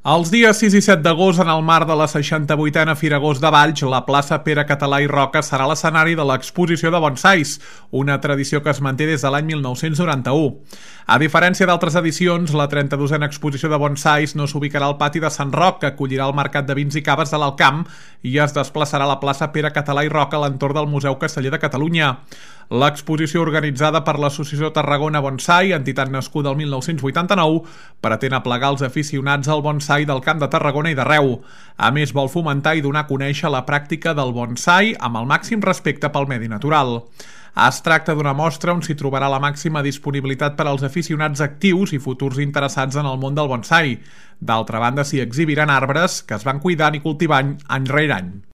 Els dies 6 i 7 d'agost, en el marc de la 68a Fira Agost de Valls, la plaça Pere Català i Roca serà l'escenari de l'exposició de bonsais, una tradició que es manté des de l'any 1991. A diferència d'altres edicions, la 32a exposició de bonsais no s'ubicarà al pati de Sant Roc, que acollirà el Mercat de Vins i Caves de l'Alcamp, i es desplaçarà a la plaça Pere Català i Roca a l'entorn del Museu Casteller de Catalunya. L'exposició, organitzada per l'Associació Tarragona Bonsai, entitat nascuda el 1989, pretén aplegar els aficionats al bonsai del Camp de Tarragona i d'arreu. A més, vol fomentar i donar a conèixer la pràctica del bonsai amb el màxim respecte pel medi natural. Es tracta d'una mostra on s'hi trobarà la màxima disponibilitat per als aficionats actius i futurs interessats en el món del bonsai. D'altra banda, s'hi exhibiran arbres que es van cuidant i cultivant any rere any.